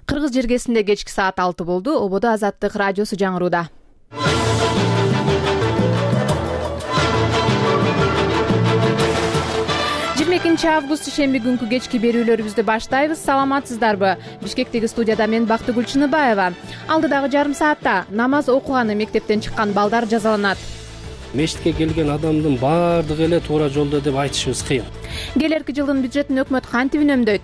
Кыргыз жергесинде кечки саат 6 болду. Ободо Азаттык радиосу жаңырууда. 22 август шемби күнкү кечки берүүлөрүбүздү баштайбыз. Саламатсыздарбы? Бишкектеги студияда мен Бактыгүл Чыныбаева. Алдыдагы жарым саатта намаз окуганы мектептен чыккан балдар жазаланат. Мешитке келген адамдын баардыгы эле туура жолдо деп айтышыбыз кыйын. Келерки жылдын бюджетин өкмөт кантип үнөмдөйт?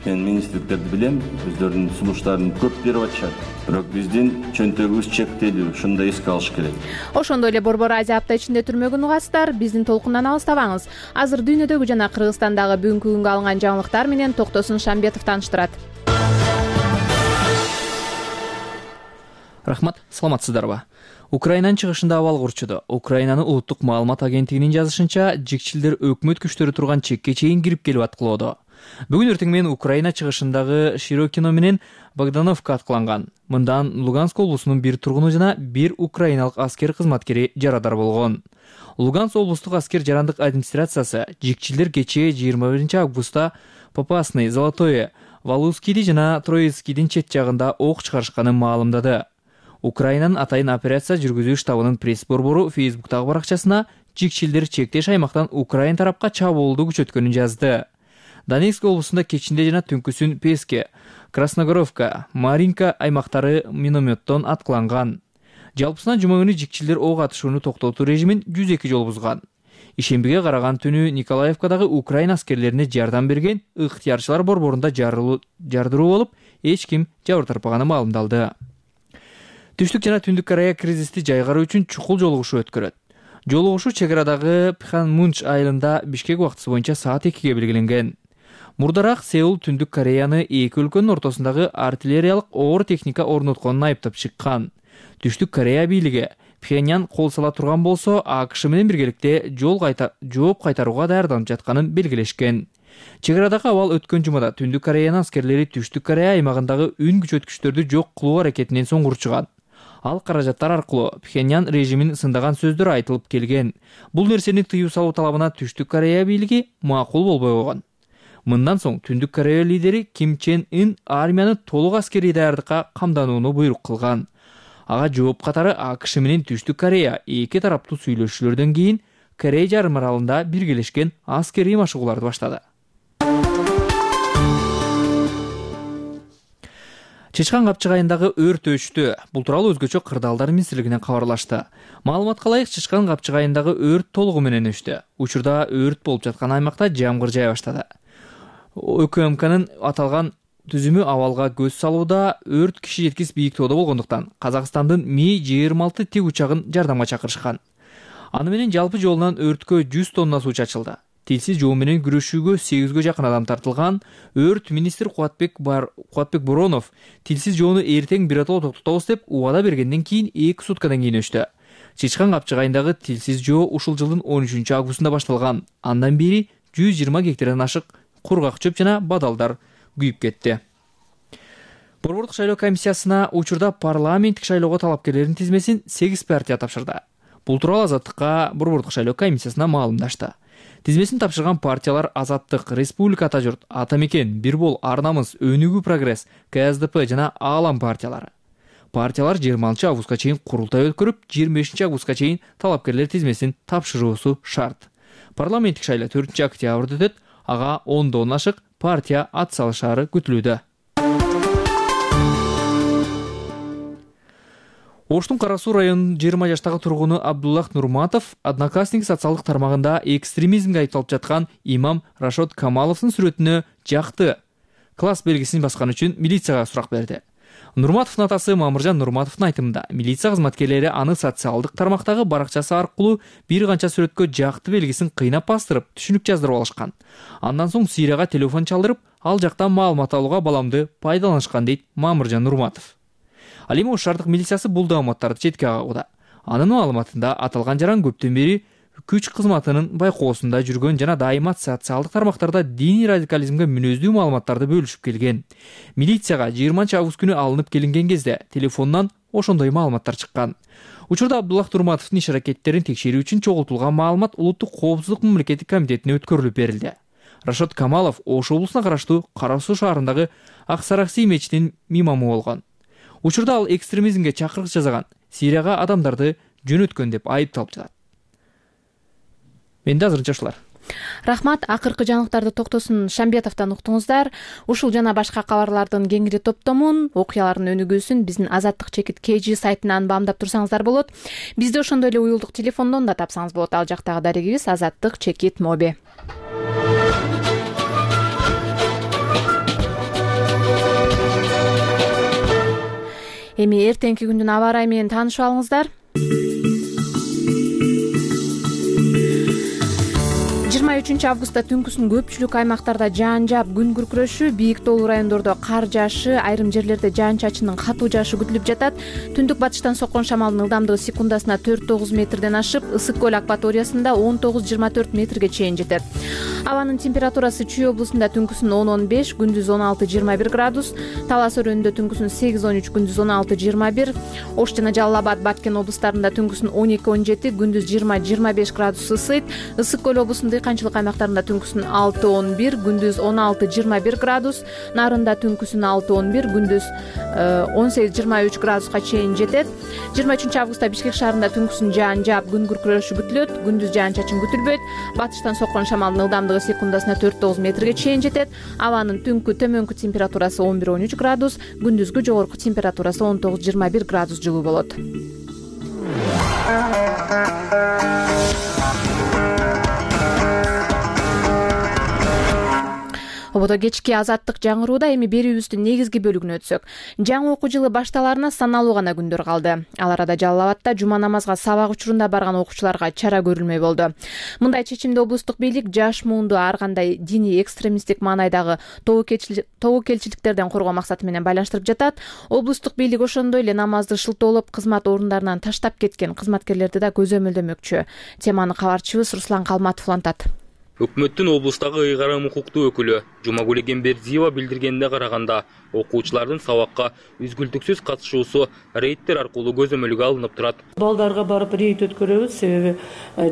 Мен министрликтерди билем, өздөрүнүн сунуштарын көп берип атышат. Бирок биздин чөнтөгүбүз чектелүү, ушуну эске алыш керек. Ошондой эле Борбор Азия апта ичинде түрмөгүн угасыздар. Биздин толкундан алыстабаңыз. Азыр дүйнөдөгү жана Кыргызстандагы бүгүнкү күнгө алынган жаңылыктар менен Токтосун Шамбетов тааныштырат. Рахмат, саламатсыздарбы? Украинанын чыгышында абал курчуду. Украинанын улуттук маалымат агенттигинин жазышынча, жикчилдер өкмөт күчтөрү турган чекке чейин кирип келип аткылоодо. Бүгүн эртең менен Украина чыгышындагы Широкино менен Богдановка аткыланган. Мындан Луганск облусунун бир тургуну жана бир украиналык аскер кызматкери жарадар болгон. Луганск облустук аскер жарандык администрациясы жикчилдер кечээ 21 августта Попасный, Золотое, Валускиди жана Троицкидин чет жагында ок чыгарышканын маалымдады. Украинанын атайын операция жүргүзүү штабынын пресс-борбору Facebook'тагы баракчасына жикчилдер чектеш аймактан Украин тарапка чабуулду күчөткөнүн жазды. Донецк облусунда кечинде жана түнкүсүн Песке, Красногоровка, Маринка аймактары минометтон аткыланган. Жалпысынан жума күнү жикчилдер ок атышууну токтотуу режимин 102 жолу бузган. Ишембиге караган түнү Николаевкадагы Украин аскерлерине жардам берген ыктыярчылар борборунда жардыруу болуп, эч ким жабыр тарпаганы маалымдалды. Түштүк жана Түндүк Корея кризисти жайгаруу үчүн чукул жолугушуу өткөрөт. Жолугушуу чек арадагы Пхенмунч айылында Бишкек убактысы боюнча саат 2-ге белгиленген. Мурдараак Сеул Түндүк Кореяны эки өлкөнүн ортосундагы артиллериялык оор техника орнотконун айыптап чыккан. Түштүк Корея бийлиги Пхеньян кол сала турган болсо, АКШ менен биргеликте жооп кайтарууга даярданып жатканын белгилешкен. Чек арадагы абал өткөн жумада Түндүк Кореянын аскерлери Түштүк Корея аймагындагы үн күчөткүчтөрдү жок кылуу аракетинен соң урчуган. Ал каражаттар аркылуу Пхеньян режимин сындаган сөздөр айтылып келген. Бул нерсени тыюу салуу талабына Түштүк Корея бийлиги макул болбой койгон. Мындан соң Түндүк Корея лидери Ким Чен Ын армияны толук аскерий даярдыкка камданууну буйрук кылган. Ага жооп катары АКШ менен Түштүк Корея эки тараптуу сүйлөшүүлөрдөн кийин Корей жарым аралында биргелешкен аскерий машыгууларды баштады. Чычкан Капчык айындагы өрт өчтү. Бул тууралуу өзгөчө Кырдаалдар министрлигинен кабарлашты. Маалыматка ылайык, Чычкан Капчык айындагы өрт толугу менен өчтү. Учурда өрт болуп жаткан аймакта жамгыр жая баштады. ÖKМКнын аталган түзүмү абалга көз салууда. Өрт киши жеткис бийиктоодо болгондуктан Казакстандын Ми-26 тик учагын жардамга чакырышкан. Аны менен жалпы жолунан өрткө 100 тонна суу чачылды. Тилсиз жоо менен күрөшүүгө 8ге жакын адам тартылган. Өрт министр Кубатбек Боронов тилсиз жоону эртең биротоло токтотобуз деп убада бергенден кийин 2 суткадан кийин өчтү. Чычкан Капчык айындагы тилсиз жоо ушул жылдын 13 августунда башталган. Андан бери 120 гектардан ашык кургак чөп жана бадалдар күйүп кетти. Борбордук шайлоо комиссиясына учурда парламенттик шайлоого талапкерлердин тизмесин 8 партия тапшырды. Бул тууралуу Азаттыкка Борбордук шайлоо комиссиясына маалымдашты. Тизмесин тапшырган партиялар Азаттык, Республика Ата журт, Ата мекен, Бир бол, Ар-намыс, Өнүгүү прогресс, КСДП жана Аалам партиялары. Партиялар 20 августка чейин курултай өткөрүп, 25 августка чейин талапкерлер тизмесин тапшыруусу шарт. Парламенттик шайлоо 4 октябрда өтөт. Ага 10 ашык партия ат салышары күтүлүүдө. Оштун Кара Суу районунун 20 жаштагы тургуну Абдуллах Нурматов Одноклассник социалдык тармагында экстремизмге айыпталып жаткан имам Рашод Камаловдун сүрөтүнө жакты класс белгисин баскан үчүн милицияга сурак берди. Нурматовдун атасы Мамыржан Нурматовдун айтымында, милиция кызматкерлери аны социалдык тармактагы баракчасы аркылуу бир канча сүрөткө жакты белгисин кыйнап бастырып, түшүнүк жаздырып алышкан. Андан соң Сирияга телефон чалдырып, ал жактан маалымат алууга баламды пайдаланышкан дейт Мамыржан Нурматов. Ал эми Ош шаардык милициясы бул маалыматтарды четке кагууда. Анын маалыматында аталган жаран көптөн бери күч кызматынын байкоосунда жүргөн жана дайыма социалдык тармактарда диний радикализмге мүнөздүү маалыматтарды бөлүшүп келген. Милицияга 20 август күнү алынып келинген кезде телефонунан ошондой маалыматтар чыккан. Учурда Абдуллах Нурматовдун иш аракеттерин текшерүү үчүн чогултулган маалымат Улуттук коопсуздук мамлекеттик комитетине өткөрүлүп берилди. Рашод Камалов Ош облусуна караштуу Кара Суу шаарындагы Ак Саракси мечитинин имамы болгон. Учурда ал экстремизмге чакырык жасаган, Сирияга адамдарды жөнөткөн деп айыпталып жатат. Менде азырынча ушулар. Рахмат, акыркы жаңылыктарды Токтосун Шамбетовдон уктуңуздар. Ушул жана башка кабарлардын кеңири топтомун, окуялардын өнүгүүсүн биздин Азаттык чекит KG сайтынан баамдап турсаңыздар болот. Бизди ошондой эле уюлдук телефондон да тапсаңыз болот. Ал жактагы дарегибиз Азаттык чекит моби. Эми эртеңки күндүн аба ырайы менен таанышып алыңыздар. 23 августта түнкүсүн көпчүлүк аймактарда жаан жаап, күн күркүрөшү, бийик тоолуу райондордо кар жаашы, айрым жерлерде жаан-чачындын катуу жаашы күтүлүп жатат. Түндүк батыштан соккон шамалдын ылдамдыгы секундасына 4-9 метрден ашып, Ысык көл акваториясында 19-24 метрге чейин жетет. Абанын температурасы Чүй облусунда түнкүсүн 10-15, күндүз 16-21 градус, Талас өрөөнүндө түнкүсүн 8-13, күндүз 16-21, Ош жана Жалал Абад, Баткен облустарында түнкүсүн 12-17, күндүз 20-25 градус ысыйт. Ысык көл облусунда канчылык аймактарында түнкүсүн 6-11, күндүз 16-21 градус, Нарында түнкүсүн 6-11, күндүз 18-23 градуска чейин жетет. 23 августта Бишкек шаарында түнкүсүн жаан жаап, күн күркүрөшү күтүлөт, күндүз жаан-чачын күтүлбөйт. Батыштан соккон шамалдын ылдамдыгы секундасына 4-9 метрге чейин жетет. Абанын түнкү төмөнкү температурасы 11-13 градус, күндүзгү жогорку температурасы 19-21 градус жылуу болот. Ободо кечки Азаттык жаңырууда эми берүүбүздүн негизги бөлүгүнө өтсөк. Жаңы окуу жылы башталарына саналуу гана күндөр калды. Ал арада Жалал Абадта жума намазга сабак учурунда барган окуучуларга чара көрүлмөй болду. Мындай чечимди облустук бийлик жаш муунду ар кандай диний экстремисттик маанайдагы тобокелчиликтерден коргоо максаты менен байланыштырып жатат. Облустук бийлик ошондой эле намазды шылтоолоп, кызмат орундарынан таштап кеткен кызматкерлерди да көзөмөлдөмөкчү. Теманы кабарчыбыз Руслан Калматов улантат. Өкмөттүн облустагы ыйгарым укуктуу өкүлү Жумагүл Эгембердиева билдиргенине караганда, окуучулардын сабакка үзгүлтүксүз катышуусу рейдтер аркылуу көзөмөлгө алынып турат. Балдарга барып рейд өткөрөбүз, себеби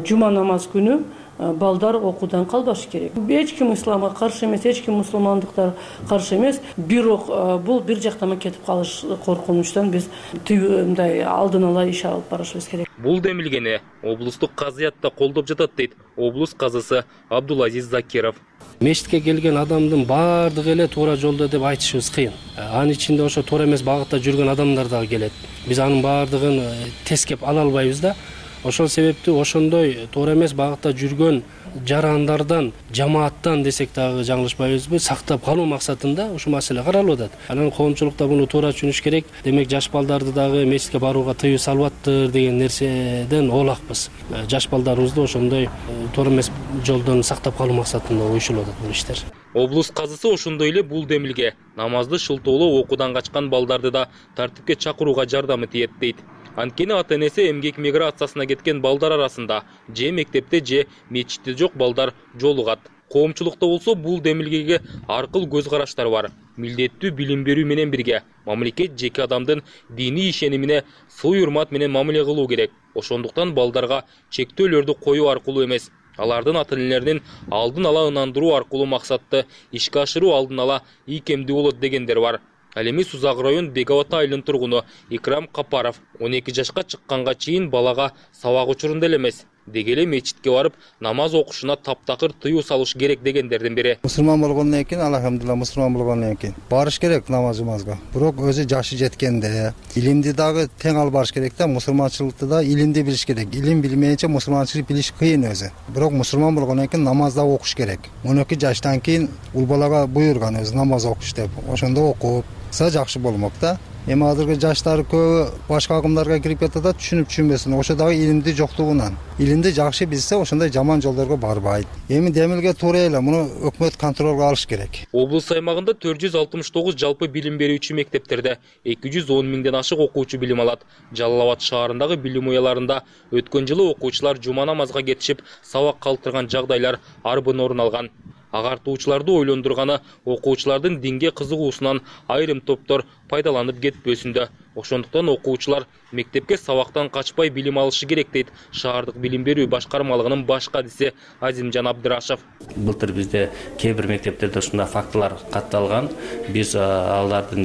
жума намаз күнү балдар окуудан калбашы керек. Эч ким исламга каршы эмес, эч ким мусулмандыкка каршы эмес. Бирок бул бир жактама кетип калыш коркунучтан биз мындай алдын ала иш алып барышыбыз керек. Бул демилгени облустук казыятта колдоп жатат дейт облус казысы Абдулазиз Закиров. Мечитке келген адамдын баардыгы эле туура жолдо деп айтышыбыз кыйын. Анын ичинде ошо туура эмес багытта жүргөн адамдар дагы келет. Биз анын баардыгын тескеп ала албайбыз да. Ошол себептүү ошондой туура эмес багытта жүргөн жарандардан, жамааттан десек дагы жаңылышпайбызбы, сактап калуу максатында ушул маселе каралып атат. Анан коомчулукта муну туура түшүнүш керек. Демек жаш балдарды дагы мечитке барууга тыюу салбаттыр деген нерседен оолакпыз. Жаш балдарыбызды ошондой туура эмес жолдон сактап калуу максатында уюшулуп атат бул иштер. Облус казысы ошондой эле бул демилге намазды шылтоолоо окуудан качкан балдарды да тартипке чакырууга жардамы тиет дейт. Анткени ата-энеси эмгек миграциясына кеткен балдар арасында же мектепте же мечитте жок балдар жолугат. Коомчулукта болсо бул демилгеге ар кыл көз караштар бар. Милдеттүү билим берүү менен бирге мамлекет жеке адамдын диний ишенимине сый урмат менен мамиле кылуу керек. Ошондуктан балдарга чектөөлөрдү коюу аркылуу эмес, алардын ата-энелеринин алдын ала ынандыруу аркылуу максатты ишке ашыруу алдын ала ийкемдүү болот дегендер бар. Ал эми Сузак район Беговат айылынын тургуну Икрам Капаров 12 жашка чыкканга чейин балага сабак учурунда эле эмес, деги эле мечитке барып намаз окушуна таптакыр тыюу салыш керек дегендердин бири. Мусулман болгондон кийин, алхамдулилла мусулман болгондон кийин барыш керек намазга. Бирок өзү жашы жеткенде илимди дагы тең алып барыш керек да, мусулманчылыкты да илимди билиш керек. Илим билмейинче мусулманчылык билиш кыйын өзү. Бирок мусулман болгондон кийин намазда окуш керек. 12 жаштан кийин ул балага буйруган өзү намаз окуш деп. Ошондо окуп жакшы болмок да. Эми азыркы жаштар көбү башка агымдарга кирип кетет, түшүнбөсүн. Ошо дагы илимди жоктугунан. Илимди жакшы билсе, ошондой жаман жолдорго барбайт. Эми демилге туура эле, муну өкмөт контролго алыш керек. Облус аймагында 469 жалпы билим берүүчү мектептерде 210 миңден ашык окуучу билим алат. Жалал Абад шаарындагы билим уяларында өткөн жылы окуучулар жума намазга кетишип, сабак калтырган жагдайлар арбын орун алган. Агартуучуларды ойлондурганы окуучулардын динге кызыгуусунан айрым топтор пайдаланып кетпөсүндө. Ошондуктан окуучулар мектепке сабактан качпай билим алышы керек дейт шаардык билим берүү башкармалыгынын баш кадиси Азимжан Абдырашев. Былтыр бизде кээ бир мектептерде ушундай фактылар катталган. Биз алардын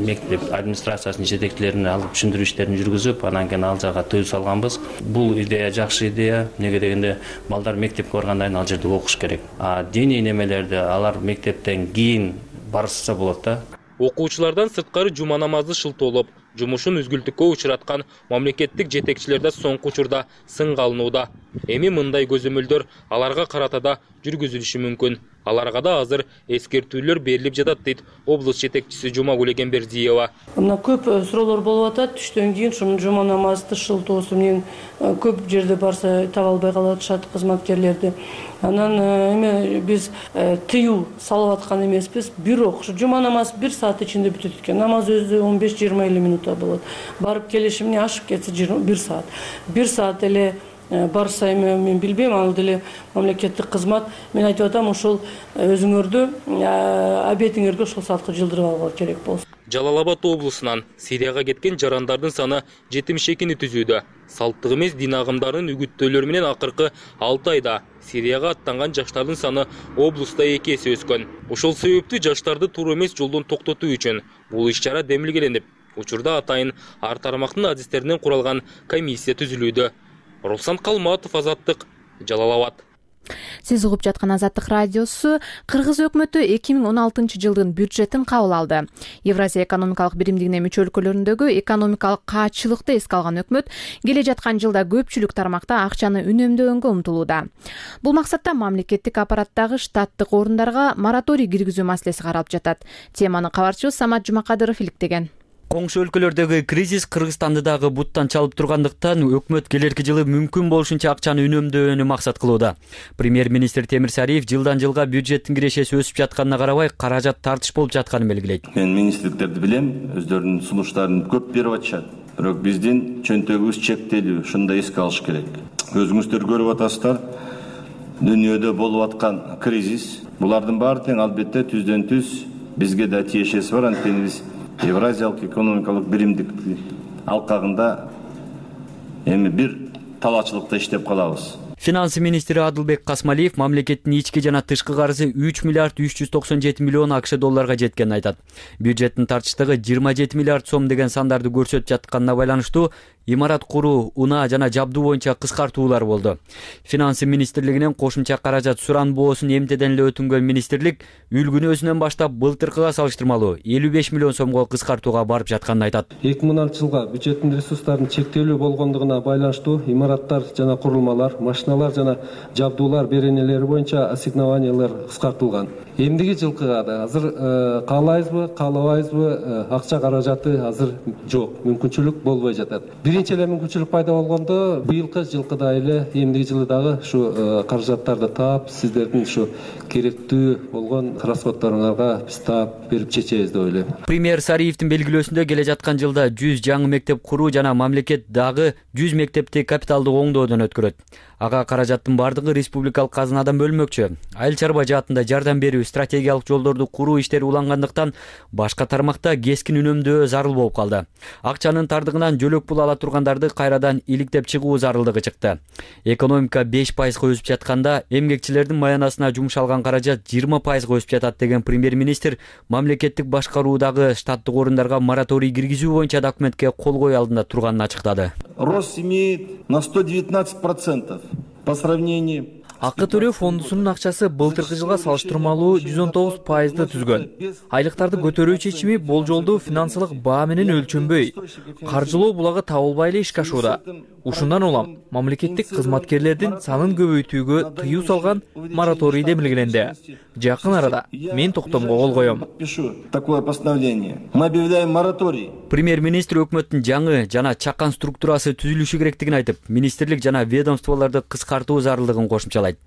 мектеп администрациясынын жетекчилерине алып түшүндүрүү иштерин жүргүзүп, анан кийин ал жакка тыюу салганбыз. Бул идея жакшы идея. Неге дегенде балдар мектепке баргандан кийин ал жерде окуш керек. Диний немелерди алар мектептен кийин барышса болот да. Окуучулардан сырткары жума намазы шылтоолоп, жумушун үзгүлтүккө учураткан мамлекеттик жетекчилерде соңку учурда сынга алынууда. Эми мындай көзөмөлдөр аларга карата да жүргүзүлүшү мүмкүн. Аларга да азыр эскертүүлөр берилип жатат дейт облус жетекчиси Жумагүл Эгембердиева. Мына көп суроолор болуп атат. Түштөн кийин ушуну жума намазды шылтоосу менен көп жерде барса таба албай калышат кызматкерлерди. Анан эми биз тыюу салып аткан эмеспиз. Бирок ушу жума намаз 1 саат ичинде бүтөт экен. Намаз өзү 15-20 минутта болот. Барып келиши менен ашып кетсе 1 саат. 1 саат эле барса эми мен билбейм, ал деле мамлекеттик кызмат. Мен айтып атам, ошол өзүңөрдү обедиңерге ошол саатка жылдырып алуу керек болсун. Жалал Абад облусунан Сирияга кеткен жарандардын саны 72-ни түзүүдө. Салттык эмес дин агымдарынын үгүттөөлөрү менен акыркы 6 айда Сирияга аттанган жаштардын саны облуста 2 эсе өскөн. Ошол себептүү жаштарды туура эмес жолдон токтотуу үчүн бул иш-чара демилгеленип, учурда атайын ар тармактын адистеринен куралган комиссия түзүлүүдө. Руслан Калматов, Азаттык, Жалал Абад. Сиз угуп жаткан Азаттык радиосу. Кыргыз өкмөтү 2016-жылдын бюджетин кабыл алды. Евразия экономикалык биримдигине мүчө өлкөлөрүндөгү экономикалык каатчылыкты эске алган өкмөт келе жаткан жылда көпчүлүк тармакта акчаны үнөмдөгөнгө умтулууда. Бул максатта мамлекеттик аппараттагы штаттык орундарга мораторий киргизүү маселеси каралып жатат. Теманы кабарчыбыз Самат Жумакадыров иликтеген. Коңшу өлкөлөрдөгү кризис Кыргызстанды дагы буттан чалып тургандыктан өкмөт келерки жылы мүмкүн болушунча акчаны үнөмдөөнү максат кылууда. Премьер-министр Темир Сариев жылдан жылга бюджеттин кирешеси өсүп жатканына карабай каражат тартыш болуп жатканын белгилейт. Мен министрликтерди билем, өздөрүнүн сунуштарын көп берип атышат. Бирок биздин чөнтөгүбүз чектелүү, ушундай эске алыш керек. Өзүңүздөр көрүп атасыздар, дүйнөдө болуп аткан кризис, булардын баары тең албетте түздөн түз бизге да тиешеси бар. Анткени биз Евразиялык экономикалык биримдик алкагында эми бир талаачылыкта иштеп калабыз. Финансы министри Адылбек Касмалиев мамлекеттин ички жана тышкы карызы 3 миллиард 397 миллион АКШ долларга жеткенин айтат. Бюджеттин тартыштыгы 27 миллиард сом деген сандарды көрсөтүп жатканына байланыштуу имарат куруу, унаа жана жабдуу боюнча кыскартуулар болду. Финансы министрлигинен кошумча каражат суранбоосун эмтеден эле өтүнгөн министрлик үлгүнү өзүнөн баштап былтыркыга салыштырмалуу 55 миллион сомго кыскартууга барып жатканын айтат. 2016-жылга бюджеттин ресурстарынын чектелүү болгондугуна байланыштуу имараттар жана курулмалар, машиналар жана жабдуулар беренелери боюнча ассигнованиялар кыскартылган. Эмдиги жылкыга да азыр каалайбызбы, каалабайбызбы, акча каражаты азыр жок, мүмкүнчүлүк болбой жатат. Биринчи эле мүмкүнчүлүк пайда болгондо быйылкы жылкыда эле эмдиги жылы дагы ушу каражаттарды таап, сиздердин ушу керектүү болгон расходторуңарга биз таап берип чечебиз деп ойлойм. Премьер Сариевдин белгилөөсүндө келе жаткан жылда 100 жаңы мектеп куруу жана мамлекет дагы 100 мектепти капиталдык оңдоодон өткөрөт. Ага каражаттын бардыгы республикалык казынадан бөлмөкчү. Айыл чарба жаатында жардам берүү, стратегиялык жолдорду куруу иштери улангандыктан башка тармакта кескин үнөмдөө зарыл болуп калды. Акчанын тардыгынан жөлөк пул ала тургандарды кайрадан иликтеп чыгуу зарылдыгы чыкты. Экономика 5% өсүп жатканда эмгекчилердин маянасына жумшалган каражат 20% өсүп жатат деген премьер-министр мамлекеттик башкаруудагы штаттык орундарга мораторий киргизүү боюнча документке кол коюу алдында турганын ачыктады. Рост имеет на 119% по сравнению. Акы төлөө фондусунун акчасы былтыркы жылга салыштырмалуу 119%ды түзгөн. Айлыктарды көтөрүү чечими болжолдуу финансылык баа менен өлчөнбөй, каржылоо булагы табылбай эле ишке ашууда. Ушундан улам мамлекеттик кызматкерлердин санын көбөйтүүгө тыюу салган мораторий демилгеленди. Жакын арада мен токтомго кол коем. Такое постановление. Мы объявляем мораторий. Премьер-министр өкмөттүн жаңы жана чакан структурасы түзүлүшү керектигин айтып, министрлик жана ведомстволорду кыскартуу зарылдыгын кошумчалайт.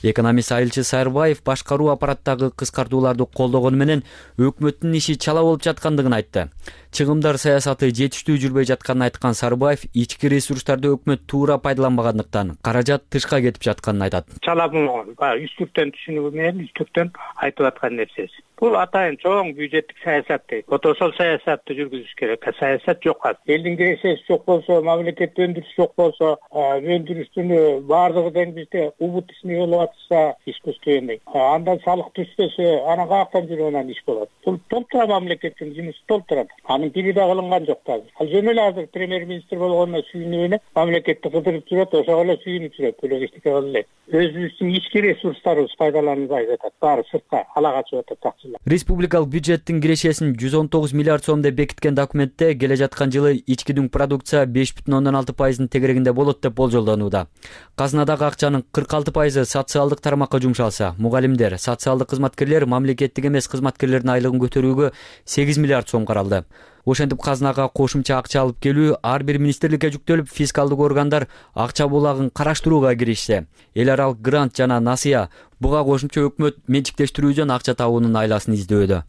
Экономист Айылчы Сайырбаев башкаруу аппараттагы кыскартууларды колдогону менен өкмөттүн иши чала болуп жаткандыгын айтты. Чыгымдар саясаты жетиштүү жүрбөй жатканын айткан Сарыбаев ички ресурстарды өкмөт туура пайдаланбагандыктан каражат тышка кетип жатканын айтат. Чалабың үстүртөн түшүнүгү менен үстүртөн айтып аткан нерсеси. Бул атайын чоң бюджеттик саясат дейт. Ошол саясатты жүргүзүш керек. Саясат жок. Элдин киресеси жок болсо, мамлекет өндүрүш жок болсо, өндүрүштүн баардыгы тең бизде убутисный болуп атса, искусственный. Андан салык түшпөсө, анан каяктан жүрүп анан иш болот. Бул толтура мамлекеттин жумушу толтурат. Анын бири да кылынган жок азыр. Ал жөн эле азыр премьер-министр болгондо сүйүнүп эле мамлекетти кыдырып жүрөт, ошого эле сүйүнүп жүрөт. Бөлөк эчтеке кыла элек. Өзүбүздүн ички ресурстарыбыз пайдаланылбай жатат. Баары сыртка ала качып атат акчалар. Республикалык бюджеттин кирешесин 119 миллиард сом деп бекиткен документте келе жаткан жылы ички дүң продукция 5,6% тегерегинде болот деп болжолдонууда. Казынадагы акчанын 46% социалдык тармакка жумшалса, мугалимдер, социалдык кызматкерлер, мамлекеттик эмес кызматкерлердин айлыгын көтөрүүгө 8 миллиард сом каралды. Ошентип казынага кошумча акча алып келүү ар бир министрликке жүктөлүп, фискалдык органдар акча булагын караштырууга киришсе. Эл аралык грант жана насыя буга кошумча өкмөт менчиктештирүүдөн акча табуунун айласын издөөдө.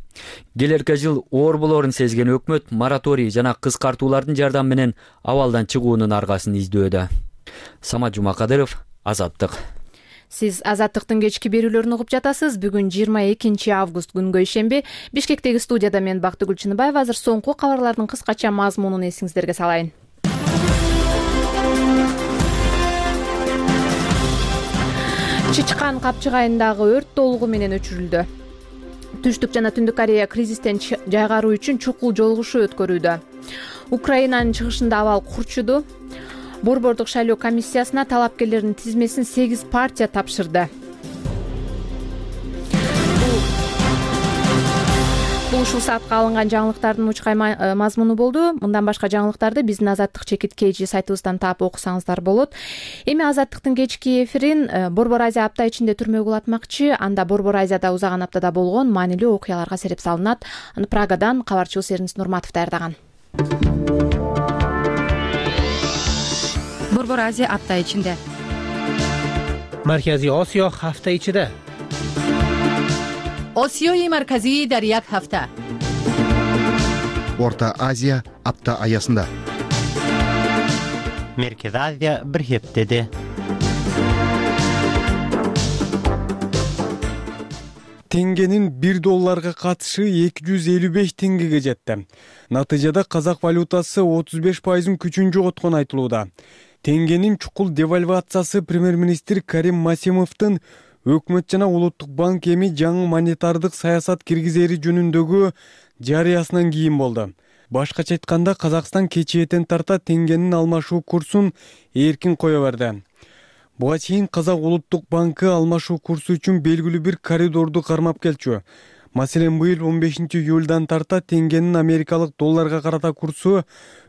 Келерки жыл оор болорун сезген өкмөт мораторий жана кыскартуулардын жардамы менен абалдан чыгуунун аргасын издөөдө. Самат Жумакадыров, Азаттык. Сиз Азаттыктын кечки берүүлөрүн угуп жатасыз. Бүгүн 22 август күнгө ишемби. Бишкектеги студияда мен Бактыгүл Чыныбаева. Азыр соңку кабарлардын кыскача мазмунун эсиңиздерге салайын. Чычкан капчыгайындагы өрт толугу менен өчүрүлдү. Түштүк жана Түндүк Корея кризистен жайгаруу үчүн чукул жолугушуу өткөрүүдө. Украинанын чыгышында абал курчуду. Борбордук шайлоо комиссиясына талапкерлердин тизмесин 8 партия тапшырды. Бул ушул саатка алынган жаңылыктардын учкай мазмуну болду. Мындан башка жаңылыктарды биздин Азаттык чекит KG сайтыбыздан таап окусаңыздар болот. Эми Азаттыктын кечки эфирин Борбор Азия апта ичинде түрмөгө улатмакчы. Анда Борбор Азияда узаган аптада болгон маанилүү окуяларга сереп салынат. Аны Прагадан кабарчыбыз Эрнис Нурматов даярдаган. Борбор Азия апта ичинде. Маркази Осиё ҳафта ичида. Осиёи марказӣ дар як ҳафта. Орта Азия апта аясында. Merkezi Азия bir heftede. Теңгенин $1 катышы 255 теңгеге жетти. Натыйжада казак валютасы 35% күчүн жоготкон айтылууда. Теңгенин чукул девальвациясы премьер-министр Карим Масимовдун өкмөт жана улуттук банк эми жаңы монетардык саясат киргизери жөнүндөгү жарыясынан кийин болду. Башкача айтканда, Казакстан кечээден тарта теңгенин алмашуу курсун эркин кое берди. Буга чейин Казак улуттук банкы алмашуу курсу үчүн белгилүү бир коридорду кармап келчү. Маселен, быйыл 15 июлдан тарта теңгенин америкалык долларга карата курсу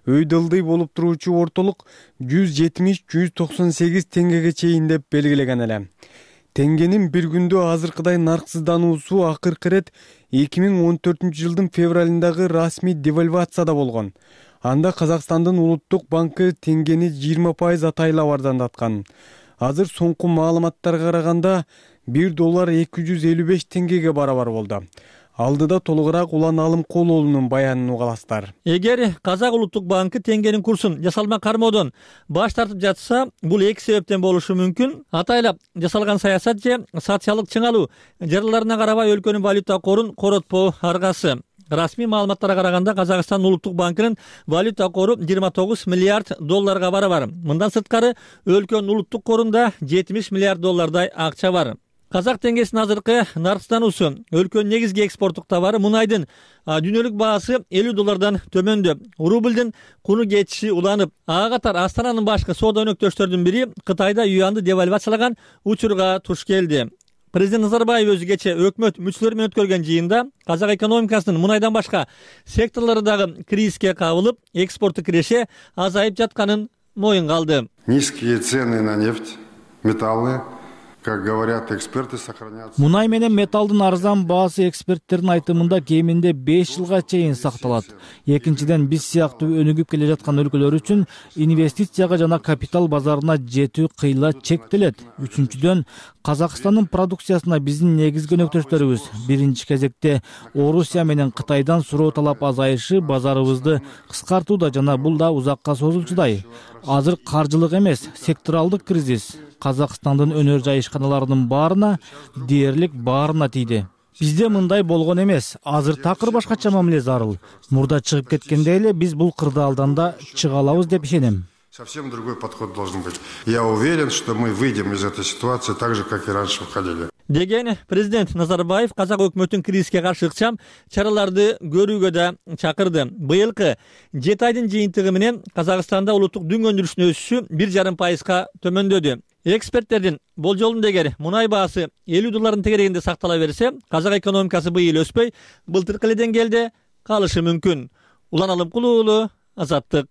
өйдөлдүй болуп туруучу ортолук 170-198 теңгеге чейин деп белгилеген эле. Теңгенин бир күндө азыркыдай нарксыздануусу акыркы ирет 2014 жылдын февралындагы расмий девальвацияда болгон. Анда Казакстандын улуттук банкы теңгени 20% атайлап арзандаткан. Азыр соңку маалыматтарга караганда $1 255 теңгеге барабар болду. Алдыда толугураак Улан Алымкулунун баянын угаласыздар. Эгер Казак улуттук банкы теңгенин курсун жасалма кармоодон баш тартып жатса, бул эки себептен болушу мүмкүн. Атайлап жасалган саясат же социалдык чыңалуу жарыларына карабай өлкөнүн валюта корун коротпоо аргасы. Расмий маалыматтарга караганда Казакстан улуттук банкынын валюта кору 29 миллиард долларга барабар. Мындан сырткары өлкөнүн улуттук корунда 70 миллиард доллардай акча бар. Казак теңгесинин азыркы нарксыздануусу өлкөнүн негизги экспорттук товары мунайдын дүйнөлүк баасы $50 төмөндө. Рублдун куну кетиши уланып, ага катар Астананын башкы соода өнөктөштөрдүн бири Кытайда юанды девальвациялаган учурга туш келди. Президент Назарбаев өзү кече өкмөт мүчөлөрү менен өткөргөн жыйында казак экономикасынын мунайдан башка секторлору дагы кризиске кабылып, экспортту киреше азайып жатканын моюнга алды. Низкие цены на нефть, металлы, как говорят эксперты, сохранятся. Мунай менен металдын арзан баасы эксперттердин айтымында кеминде 5 жылга чейин сакталат. Экинчиден, биз сыяктуу өнүгүп келе жаткан өлкөлөр үчүн инвестицияга жана капитал базарына жетүү кыйла чектелет. Үчүнчүдөн, Казакстандын продукциясына биздин негизги өнөктөштөрүбүз биринчи кезекте Орусия менен Кытайдан суроо талап азайышы базарыбызды кыскартууда жана бул да узакка созулчудай. Азыр каржылык эмес, секторалдык кризис Казакстандын өнөр жайышканаларынын баарына, дээрлик баарына тийди. Бизде мындай болгон эмес. Азыр такыр башкача мамиле зарыл. Мурда чыгып кеткенде эле биз бул кырдаалдан да чыга алабыз деп ишенем. Совсем другой подход должен быть. Я уверен, что мы выйдем из этой ситуации так же, как и раньше выходили. Деген президент Назарбаев казак өкмөтүн кризиске каршы ыкчам чараларды көрүүгө да чакырды. Быйылкы 7 айдын жыйынтыгы менен Казакстанда улуттук дүң өндүрүшүнүн өсүшү 1,5% төмөндөдү. Эксперттердин болжолунда эгер мунай баасы $50 тегерегинде сактала берсе, казак экономикасы быйыл өспөй, былтыркы эле деңгээлде калышы мүмкүн. Улан Алымкулуу уулу, Азаттык.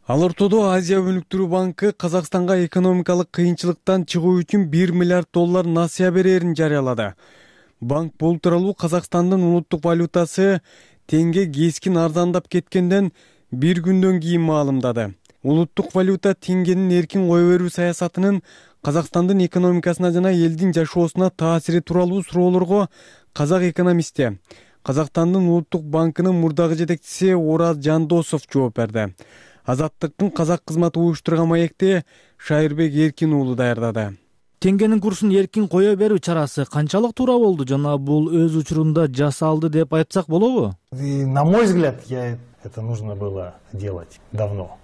Ал ортодо Азия өнүктүрүү банкы Казакстанга экономикалык кыйынчылыктан чыгуу үчүн $1 миллиард насыя берерин жарыялады. Банк бул тууралуу Казакстандын улуттук валютасы теңге кескин арзандап кеткенден бир күндөн кийин маалымдады. Улуттук валюта теңгенин эркин кое берүү саясатынын Казакстандын экономикасына жана элдин жашоосуна таасири тууралуу суроолорго казак экономисти, Казакстандын улуттук банкынын мурдагы жетекчиси Ораз Жандосов жооп берди. Азаттыктын казак кызматы уюштурган маекти Шайырбек Эркин уулу даярдады. Теңгенин курсун эркин кое берүү чарасы канчалык туура болду жана бул өз учурунда жасалды деп айтсак болобу? На мой взгляд, это нужно было делать давно.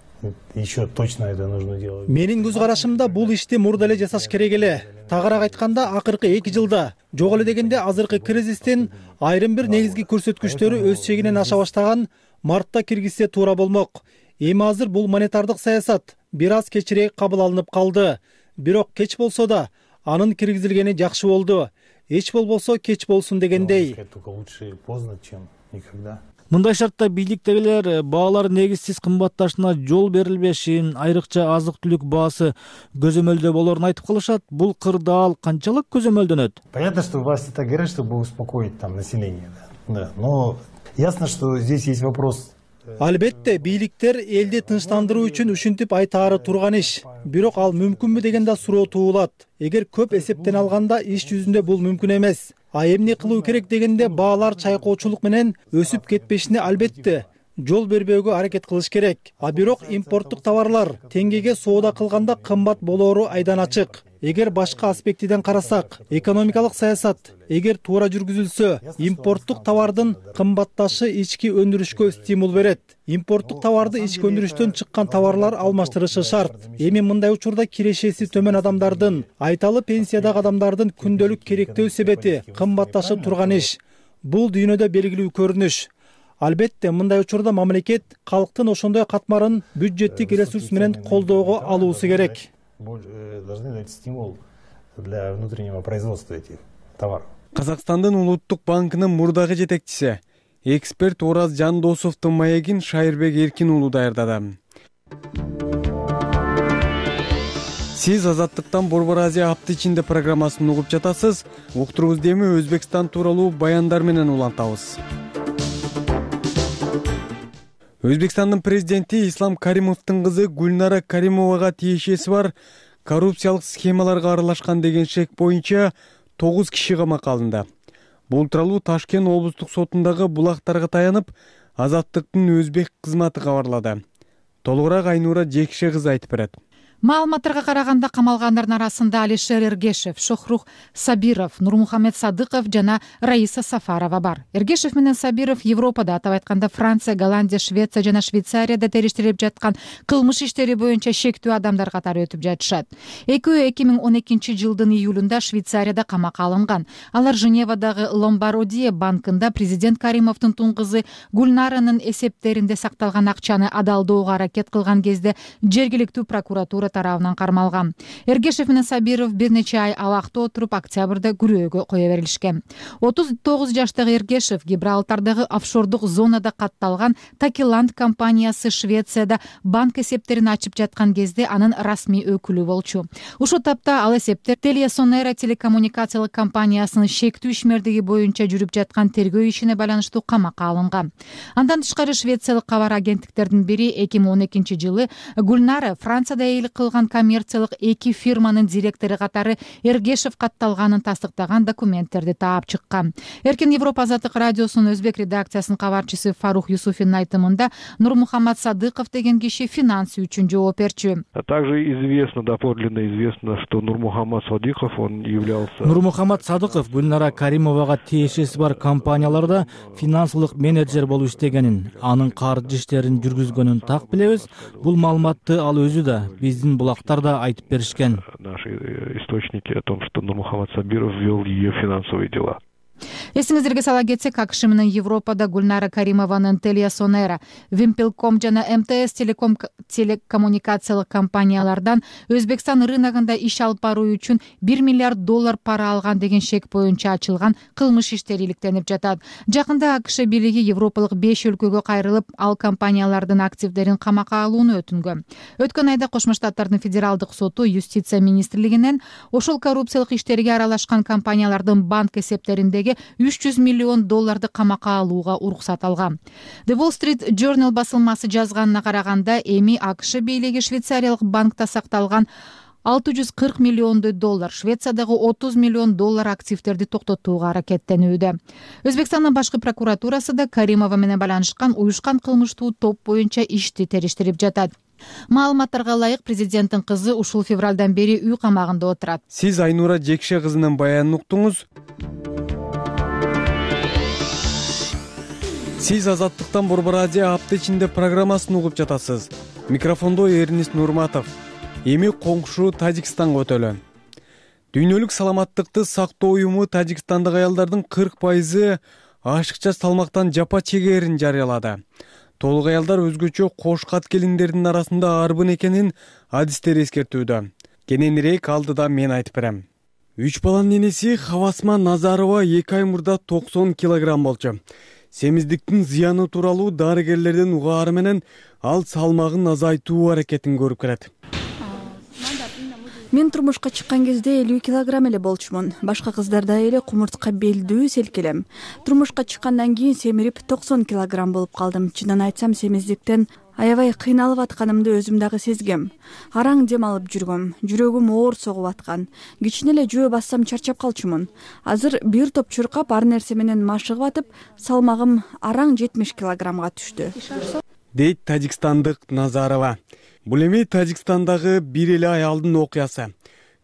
Еще точно это нужно делать. Менин көз карашымда бул ишти мурда эле жасаш керек эле. Тагыраак айтканда, акыркы 2 жылда жок эле дегенде азыркы кризистин айрым бир негизги көрсөткүчтөрү өз чегинен аша баштаган мартта киргизсе туура болмок. Эми азыр бул монетардык саясат бир аз кечирээк кабыл алынып калды. Бирок кеч болсо да анын киргизилгени жакшы болду. Эч болбосо кеч болсун дегендей. Мындай шартта бийликтегилер баалар негизсиз кымбатташына жол берилбешин, айрыкча азык-түлүк баасы көзөмөлдө болорун айтып калышат. Бул кырдаал канчалык көзөмөлдөнөт? Понятно, что власти так говорят, чтобы успокоить там население, да. Но ясно, что здесь есть вопрос. Албетте, бийликтер элди тынчтандыруу үчүн ушинтип айтаары турган иш. Бирок ал мүмкүнбү деген да суроо туулат. Эгер көп эсептен алганда иш жүзүндө бул мүмкүн эмес. Эмне кылуу керек дегенде баалар чайкоочулук менен өсүп кетпешине албетте жол бербөөгө аракет кылыш керек. Бирок импорттук товарлар теңгеге соода кылганда кымбат болоору айдан ачык. Эгер башка аспектиден карасак, экономикалык саясат эгер туура жүргүзүлсө, импорттук товардын кымбатташы ички өндүрүшкө стимул берет. Импорттук товарды ички өндүрүштөн чыккан товарлар алмаштырышы шарт. Эми мындай учурда кирешеси төмөн адамдардын, айталы пенсиядагы адамдардын күндөлүк керектөө себети кымбатташып турган иш. Бул дүйнөдө белгилүү көрүнүш. Албетте, мындай учурда мамлекет калктын ошондой катмарын бюджеттик ресурс менен колдоого алуусу керек. Должны дать стимул для внутреннего производства этих товаров. Казакстандын улуттук банкынын мурдагы жетекчиси, эксперт Ораз Жандосовдун маегин Шайырбек Эркин уулу даярдады. Сиз Азаттыктан Борбор Азия апты ичинде программасын угуп жатасыз. Уктурубузду эми Өзбекстан тууралуу баяндар менен улантабыз. Өзбекстандын президенти Ислам Каримовдун кызы Гульнара Каримовага тиешеси бар коррупциялык схемаларга аралашкан деген шек боюнча 9 киши камакка алынды. Бул тууралуу Ташкент облустук сотундагы булактарга таянып, Азаттыктын өзбек кызматы кабарлады. Толугураак Айнура Жекше кызы айтып берет. Маалыматтарга караганда камалгандардын арасында Алишер Эргешев, Шохрух Сабиров, Нурмухамед Садыков жана Раиса Сафарова бар. Эргешев менен Сабиров Европада, атап айтканда Франция, Голландия, Швеция жана Швейцарияда териштирилип жаткан кылмыш иштери боюнча шектүү адамдар катары өтүп жатышат. Экөө 2012 жылдын июлунда Швейцарияда камакка алынган. Алар Женевадагы Ломбардия банкында президент Каримовдун тун кызы Гульнаранын эсептеринде сакталган акчаны адалдоого аракет кылган кезде жергиликтүү прокуратура тарабынан кармалган. Эргешев менен Сабиров бир нече ай абакта отуруп, октябрда күрөөгө кое берилишкен. 39 жаштагы Эргешев Гибралтардагы офшордук зонада катталган Такиланд компаниясы Швецияда банк эсептерин ачып жаткан кезде анын расмий өкүлү болчу. Ушул тапта ал эсептер Телесонера телекоммуникациялык компаниясынын шектүү ишмердиги боюнча жүрүп жаткан тергөө ишине байланыштуу камакка алынган. Андан тышкары швециялык кабар агенттиктердин бири 2012 жылы Гульнара Францияда эйл кылган коммерциялык 2 фирманын директору катары Эргешев катталганын тастыктаган документтерди таап чыккан. Эркин Европа Азаттык радиосунун өзбек редакциясынын кабарчысы Фарух Юсуфиндин айтымында Нурмухаммад Садыков деген киши финансы үчүн жооп берчү. Также известно, доподлинно известно, что Нурмухаммад Садыков, он являлся... Нурмухаммад Садыков Гүлнара Каримовага тиешеси бар компанияларда финансылык менеджер болуп иштегенин, анын каржы иштерин жүргүзгөнүн так билебиз. Бул маалыматты ал өзү да, биздин булактар да айтып беришкен. Наши источники о том, что Нурмухаммад Сабиров вел ее финансовые дела. Эсиңиздерге сала кетсек, АКШ менен Европада Гүлнара Каримованын Телесонера, Вимпелком жана МТС телекоммуникациялык компаниялардан Өзбекстан рыногунда иш алып баруу үчүн $1 миллиард пара алган деген шек боюнча ачылган кылмыш иштери иликтенип жатат. Жакында АКШ бийлиги европалык 5 өлкөгө кайрылып, ал компаниялардын активдерин камакка алууну өтүнгөн. Өткөн айда Кошмо Штаттардын федералдык соту Юстиция министрлигинен ошол коррупциялык иштерге аралашкан компаниялардын банк эсептериндеги $300 миллион камакка алууга уруксат алган. The Wall Street Journal басылмасы жазганына караганда, эми АКШ бийлиги Швейцариялык банкта сакталган $640 миллион, Швециядагы $30 миллион активдерди токтотууга аракеттенүүдө. Өзбекстандын башкы прокуратурасы да Каримова менен байланышкан уюшкан кылмыштуу топ боюнча ишти териштирип жатат. Маалыматтарга ылайык, президенттин кызы ушул февралдан бери үй камагында отурат. Сиз Айнура Жекше кызынын баянын уктуңуз. Сиз Азаттыктан Борбор Азия апта ичинде программасын угуп жатасыз. Микрофондо Эрнис Нурматов. Эми коңшу Тажикстанга өтөлү. Дүйнөлүк саламаттыкты сактоо уюму Тажикстандагы аялдардын 40% ашыкча салмактан жапа чегээрин жарыялады. Толук аялдар өзгөчө кош кат келиндердин арасында арбын экенин адистер эскертүүдө. Кененирээк алдыда мен айтып берем. 3 баланын энеси Хавасма Назарова 2 ай мурда 90 килограмм болчу. Семиздиктин зыяны тууралуу дарыгерлердин угаары менен ал салмагын азайтуу аракетин көрүп келет. Мен турмушка чыккан кезде 50 килограмм эле болчумун. Башка кыздардай эле кумуртка белдүү селкелем. Турмушка чыккандан кийин семирип 90 килограмм болуп калдым. Чынын айтсам, семиздиктен аябай кыйналып атканымды өзүм дагы сезгем. Араң дем алып жүргөм. Жүрөгүм оор согуп аткан. Кичине эле жөө бассам чарчап калчумун. Азыр бир топ чуркап, ар нерсе менен машыгып атып, салмагым араң 70 килограммга түштү. Дейт тажикстандык Назарова. Бул эми Тажикстандагы бир эле аялдын окуясы.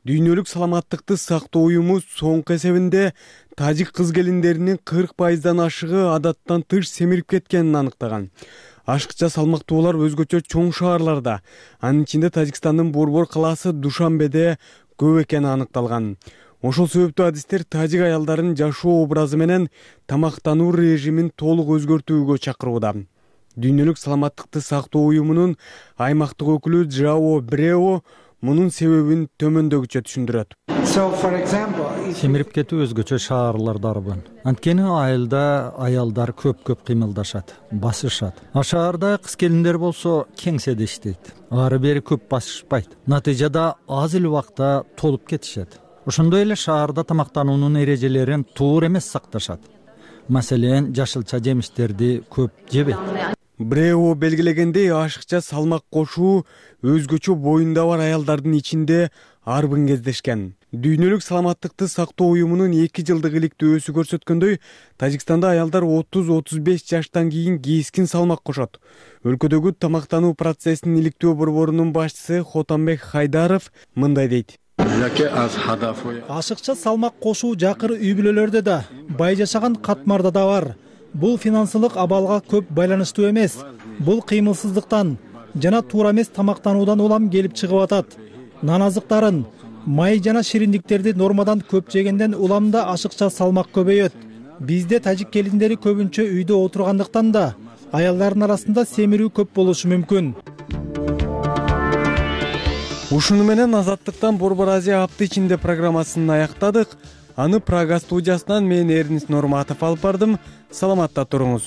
Дүйнөлүк саламаттыкты сактоо уюму соңку эсебинде тажик кыз келиндеринин 40%дан ашыгы адаттан тыш семирип кеткенин аныктаган. Ашыкча салмактуулар өзгөчө чоң шаарларда, анын ичинде Тажикстандын Борбор калаасы Душанбеде көп экени аныкталган. Ошол себептүү адистер тажик аялдарын жашоо образы менен тамактануу режимин толук өзгөртүүгө чакырууда. Дүйнөлүк саламаттыкты сактоо уюмунун аймактык өкүлү Жао Брео мунун себебин төмөндөгүчө түшүндүрөт. Семирип кетүү өзгөчө шаарларда арбын. Анткени айылда аялдар көп кыймылдашат, басышат. А шаарда кыз келиндер болсо кеңседе иштейт. Ары бери көп басышпайт. Натыйжада аз эле убакта толуп кетишет. Ошондой эле шаарда тамактануунун эрежелерин туура эмес сакташат. Маселен, жашылча жемиштерди көп жебейт. Брео белгилегендей, ашыкча салмак кошуу өзгөчө боюнда бар аялдардын ичинде арбын кездешкен. Дүйнөлүк саламаттыкты сактоо уюмунун 2 жылдык иликтөөсү көрсөткөндөй, Тажикстанда аялдар 30-35 жаштан кийин кескин салмак кошот. Өлкөдөгү тамактануу процессинин иликтөө борборунун башчысы Хотамбек Хайдаров мындай дейт. Ашыкча салмак кошуу жакыр үй бүлөлөрдө да, бай жашаган катмарда да бар. Бул финансылык абалга көп байланыштуу эмес. Бул кыймылсыздыктан жана туура эмес тамактануудан улам келип чыгып атат. Нан азыктарын, май жана шириндиктерди нормадан көп жегенден уламда ашыкча салмак көбөйөт. Бизде тажик келиндери көбүнчө үйдө отургандыктан да аялдардын арасында семирүү көп болушу мүмкүн. Ушуну менен Азаттыктан Борбор Азия апта ичинде программасын аяктадык. Аны Прага студиясынан мен Эрнис Нурматов алып бардым. Саламатта туруңуз.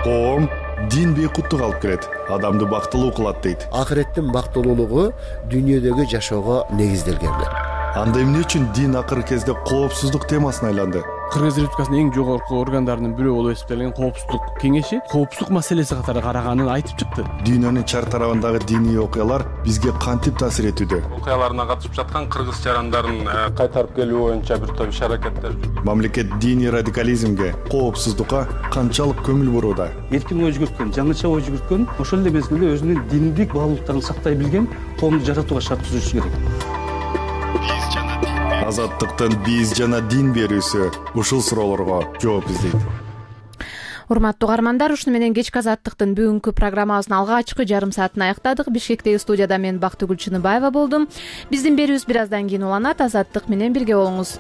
Коом дин бейкуттук алып келет, адамды бактылуу кылат дейт. Акыреттин бактылуулугу дүйнөдөгү жашоого негизделген. Анда эмне үчүн дин акыркы кезде коопсуздук темасына айланды? Кыргыз Республикасынын эң жогорку органдарынын бирөө болуп эсептелген Коопсуздук кеңеши коопсуздук маселеси катары караганын айтып чыкты. Дүйнөнүн чар тарабындагы диний окуялар бизге кантип таасир этүүдө? Окуяларына катышып жаткан кыргыз жарандарын кайтарып келүү боюнча бир топ иш-аракеттер. Мамлекет диний радикализмге, коопсуздукка канчалык көңүл бурууда? Эркин ой жүгүрткөн, жаңыча ой жүгүрткөн, ошол эле мезгилде өзүнүн диндик баалуулуктарын сактай билген коомду жаратууга шарт түзүшү керек. Азаттыктын биз жана дин берүүсү ушул суроолорго жооп издейт. Урматтуу угармандар, ушуну менен кечки Азаттыктын бүгүнкү программабыздын алгачкы жарым саатын аяктадык. Бишкектеги студияда мен Бактыгүл Чыныбаева болдум. Биздин берүүбүз бир аздан кийин уланат. Азаттык менен бирге болуңуз.